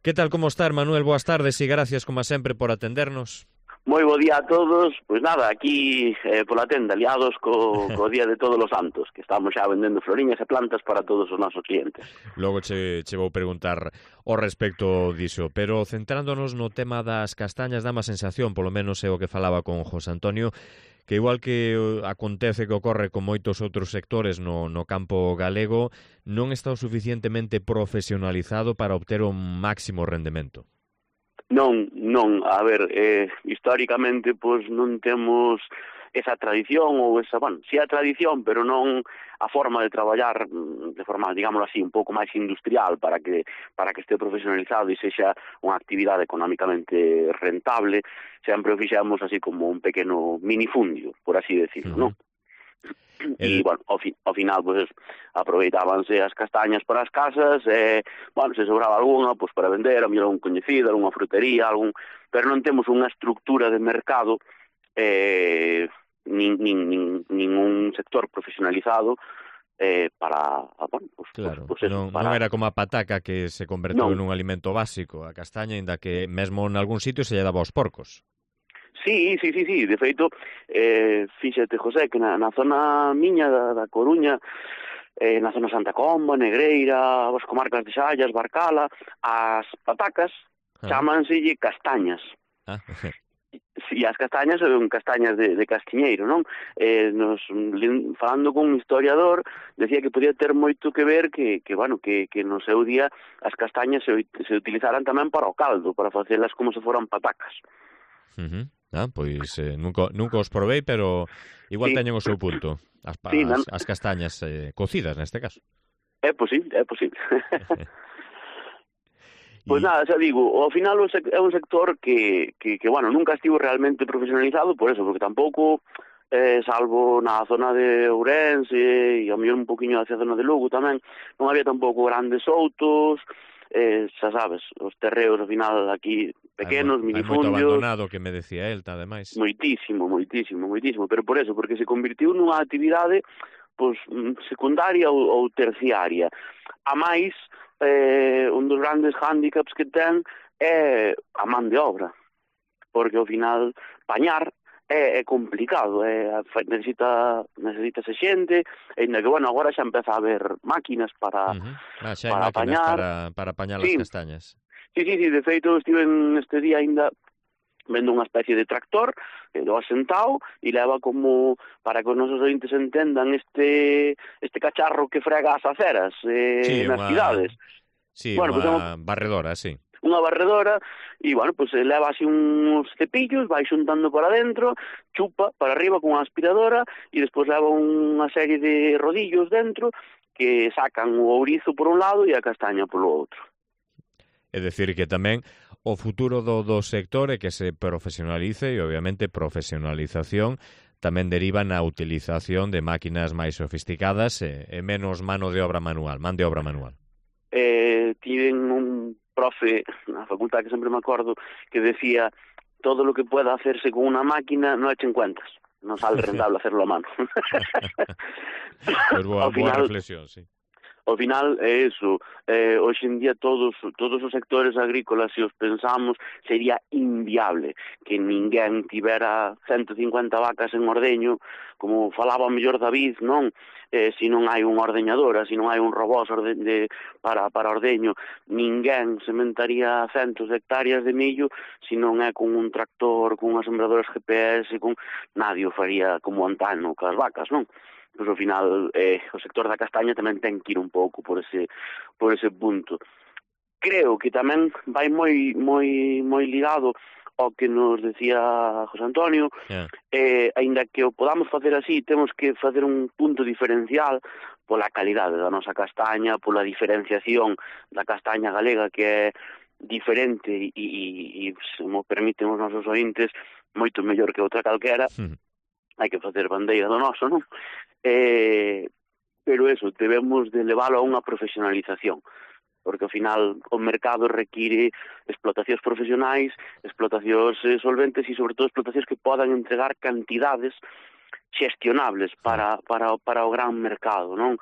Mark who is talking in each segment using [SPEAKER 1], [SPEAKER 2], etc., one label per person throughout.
[SPEAKER 1] Que tal, como está, Manuel? Boas tardes e gracias, como sempre, por atendernos.
[SPEAKER 2] Moi bo día a todos. Pois nada, aquí pola tenda, liados co Día de Todos os Santos, que estamos xa vendendo floriñas e plantas para todos os nosos clientes.
[SPEAKER 1] Logo che vou preguntar ao respecto diso, pero centrándonos no tema das castañas, dá má sensación, polo menos é o que falaba con José Antonio, que igual que acontece que ocorre con moitos outros sectores no campo galego, non está o suficientemente profesionalizado para obter un máximo rendemento.
[SPEAKER 2] Non, a ver, históricamente pois non temos esa tradición ou esa, bueno, si a tradición, pero non a forma de traballar de forma, digámoslo así, un pouco máis industrial para que este profesionalizado e sexa unha actividade económicamente rentable. Sempre o fixemos así como un pequeno minifundio, por así decirlo, non? E, bueno, ao final, pues, aproveitábanse as castañas para as casas, bueno, se sobraba alguna, pues, para vender, a mellor un coñecido, alguna frutería, pero non temos unha estructura de mercado, ningún sector profesionalizado, para, bueno, pues,
[SPEAKER 1] claro,
[SPEAKER 2] pues eso,
[SPEAKER 1] non era como a pataca que se converteu nun alimento básico, a castaña, inda que mesmo en algún sitio se lle daba aos porcos.
[SPEAKER 2] Sí, de feito, fíxate, José, que na zona miña da Coruña, na zona Santa Comba, Negreira, as comarcas de Xallas, Barcala, as patacas chámanselle castañas. E as castañas son castañas de castiñeiro, non? Falando con un historiador, decía que podía ter moito que ver que no seu día as castañas se utilizaran tamén para o caldo, para facelas como se foran patacas.
[SPEAKER 1] Pois nunca os provei, pero igual teñen o seu punto. As castañas cocidas, neste caso.
[SPEAKER 2] É posible. Pois nada, xa digo, ao final é un sector que bueno, nunca estivo realmente profesionalizado por eso, porque tampouco, salvo na zona de Ourense e ao mellor un poquinho hacia a zona de Lugo tamén, non había tampouco grandes outos, xa sabes, os terreos ao final aquí pequenos, minifundios.
[SPEAKER 1] Hai moito abandonado, que me decía el, ademais.
[SPEAKER 2] Moitísimo, pero por eso, porque se convirtiu nunha actividade pois secundaria ou terciaria. A máis, un dos grandes hándicaps que ten é a man de obra, porque ao final pañar é complicado, necesitase xente, ainda que, bueno, agora xa empeza a haber máquinas para pañar.
[SPEAKER 1] Para pañar as castañas.
[SPEAKER 2] Sí, de feito, estive este día ainda vendo unha especie de tractor do asentado e leva como, para que os nosos ointes entendan, este cacharro que frega as aceras nas cidades.
[SPEAKER 1] Sí, bueno, unha barredora, sí.
[SPEAKER 2] Unha barredora, e, bueno, pues leva así uns cepillos, vai xuntando para dentro, chupa para arriba con unha aspiradora, e despois leva unha serie de rodillos dentro que sacan o ourizo por un lado e a castaña polo outro.
[SPEAKER 1] É dicir, que tamén o futuro do sector é que se profesionalice e, obviamente, profesionalización tamén deriva na utilización de máquinas máis sofisticadas e menos man de obra manual.
[SPEAKER 2] Tiven un profe na facultad que sempre me acordo que decía: todo lo que pueda hacerse con una máquina no echen cuentas, non sale rentable hacerlo a mano.
[SPEAKER 1] Pues boa reflexión, sí.
[SPEAKER 2] Ao final é eso, hoxe en día todos os sectores agrícolas, se os pensamos, sería inviable que ninguén tivera 150 vacas en ordeño, como falaba o mellor David, non? Se non hai unha ordeñadora, se non hai un robot para ordeño, ninguén sementaría centos de hectáreas de millo se non é con un tractor, con unhas sembradoras GPS, nadie o faría como antano cas vacas, non? Pois ao final o sector da castaña tamén ten que ir un pouco por ese punto. Creo que tamén vai moi ligado ao que nos decía José Antonio, aínda que o podamos facer así, temos que facer un punto diferencial pola calidade da nosa castaña, pola diferenciación da castaña galega, que é diferente e se mo permiten os nosos ointes, moito mellor que outra calquera. Hai que facer bandeira do noso, non? Pero eso, debemos de leválo a unha profesionalización, porque ao final o mercado require explotacións profesionais, explotacións solventes e, sobre todo, explotacións que podan entregar cantidades xestionables para o gran mercado, non?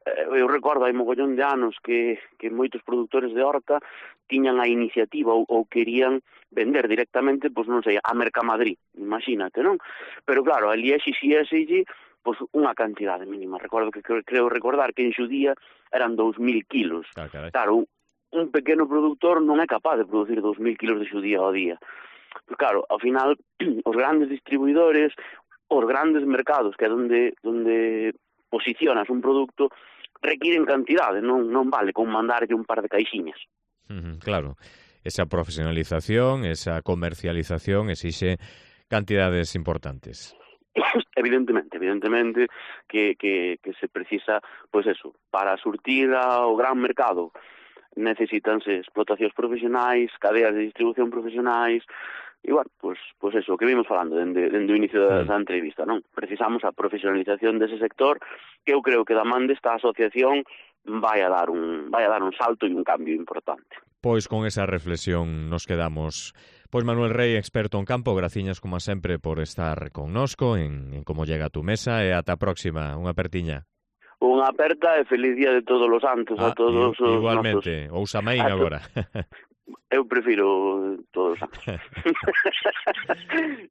[SPEAKER 2] Eu recordo hai mogollón de anos que moitos produtores de horta tiñan a iniciativa ou querían vender directamente, pois non sei, a Mercamadrid, imagínate, non? Pero claro, ali exixíaselle pois unha cantidade mínima. Recordo que creo recordar que en Xudía eran 2.000 kilos. Claro, un pequeno productor non é capaz de producir 2.000 kilos de Xudía ao día. Pero claro, ao final, os grandes distribuidores, os grandes mercados, que é onde posicionas un produto, requiren cantidade, non vale con mandarlle un par de caixiñas.
[SPEAKER 1] Claro, esa profesionalización, esa comercialización exixe cantidades importantes.
[SPEAKER 2] Evidentemente que se precisa, pois eso, para surtir ao gran mercado necesítanse explotacións profesionais, cadeas de distribución profesionais, e, bueno, pois eso, que vimos falando dende o inicio da entrevista, non? Precisamos a profesionalización dese sector, que eu creo que da man desta asociación vai a dar un salto e un cambio importante.
[SPEAKER 1] Pois con esa reflexión nos quedamos. Pois Manuel Rei, experto en campo, graciñas como sempre por estar connosco en Como Llega a tu Mesa, e ata a próxima, unha apertiña.
[SPEAKER 2] Unha aperta e feliz día de todos os santos a todos os
[SPEAKER 1] igualmente, ou Samaín agora.
[SPEAKER 2] Eu prefiro todos os santos.